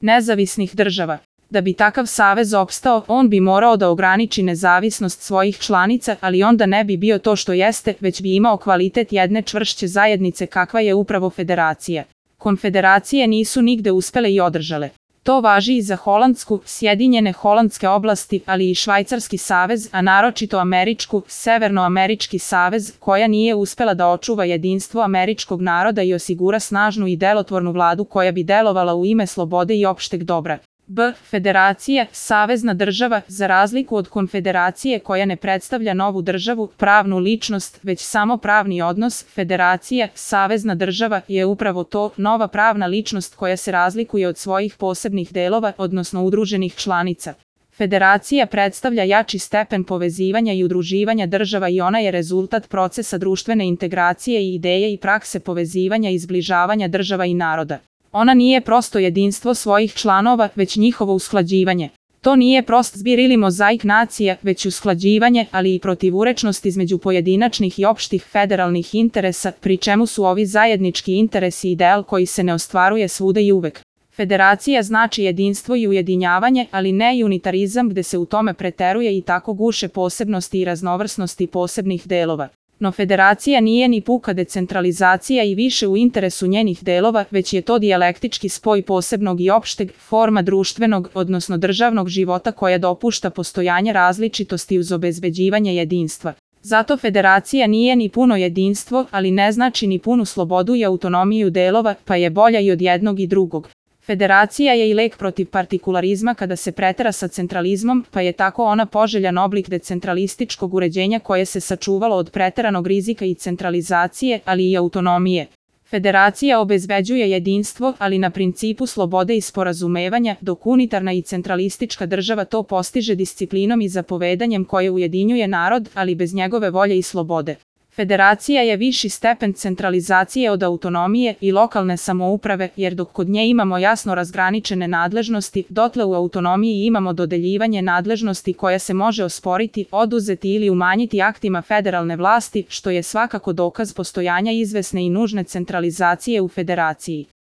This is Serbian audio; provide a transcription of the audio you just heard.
nezavisnih država. Da bi takav savez opstao, on bi morao da ograniči nezavisnost svojih članica, ali onda ne bi bio to što jeste, već bi imao kvalitet jedne čvršće zajednice kakva je upravo federacija. Konfederacije nisu nigde uspele i održale. To važi i za Holandsku, Sjedinjene holandske oblasti, ali i Švajcarski savez, a naročito Američku, Severnoamerički savez, koja nije uspela da očuva jedinstvo američkog naroda i osigura snažnu i delotvornu vladu koja bi delovala u ime slobode i opšteg dobra. Federacija, savezna država, za razliku od konfederacije koja ne predstavlja novu državu, pravnu ličnost, već samo pravni odnos, federacija, savezna država, je upravo to, nova pravna ličnost koja se razlikuje od svojih posebnih delova, odnosno udruženih članica. Federacija predstavlja jači stepen povezivanja i udruživanja država i ona je rezultat procesa društvene integracije i ideje i prakse povezivanja i zbližavanja država i naroda. Ona nije prosto jedinstvo svojih članova, već njihovo usklađivanje. To nije prost zbir ili mozaik nacija, već usklađivanje, ali i protivurečnost između pojedinačnih i opštih federalnih interesa, pri čemu su ovi zajednički interesi ideal koji se ne ostvaruje svuda i uvek. Federacija znači jedinstvo i ujedinjavanje, ali ne i unitarizam gde se u tome preteruje i tako guše posebnosti i raznovrsnosti posebnih delova. No federacija nije ni puka decentralizacija i više u interesu njenih delova, već je to dijalektički spoj posebnog i opšteg, forma društvenog, odnosno državnog života koja dopušta postojanje različitosti uz obezbeđivanje jedinstva. Zato federacija nije ni puno jedinstvo, ali ne znači ni punu slobodu i autonomiju delova, pa je bolja i od jednog i drugog. Federacija je i lek protiv partikularizma kada se pretera sa centralizmom, pa je tako ona poželjan oblik decentralističkog uređenja koje se sačuvalo od preteranog rizika i centralizacije, ali i autonomije. Federacija obezbeđuje jedinstvo, ali na principu slobode i sporazumevanja, dok unitarna i centralistička država to postiže disciplinom i zapovedanjem koje ujedinjuje narod, ali bez njegove volje i slobode. Federacija je viši stepen centralizacije od autonomije i lokalne samouprave, jer dok kod nje imamo jasno razgraničene nadležnosti, dotle u autonomiji imamo dodeljivanje nadležnosti koja se može osporiti, oduzeti ili umanjiti aktima federalne vlasti, što je svakako dokaz postojanja izvesne i nužne centralizacije u federaciji.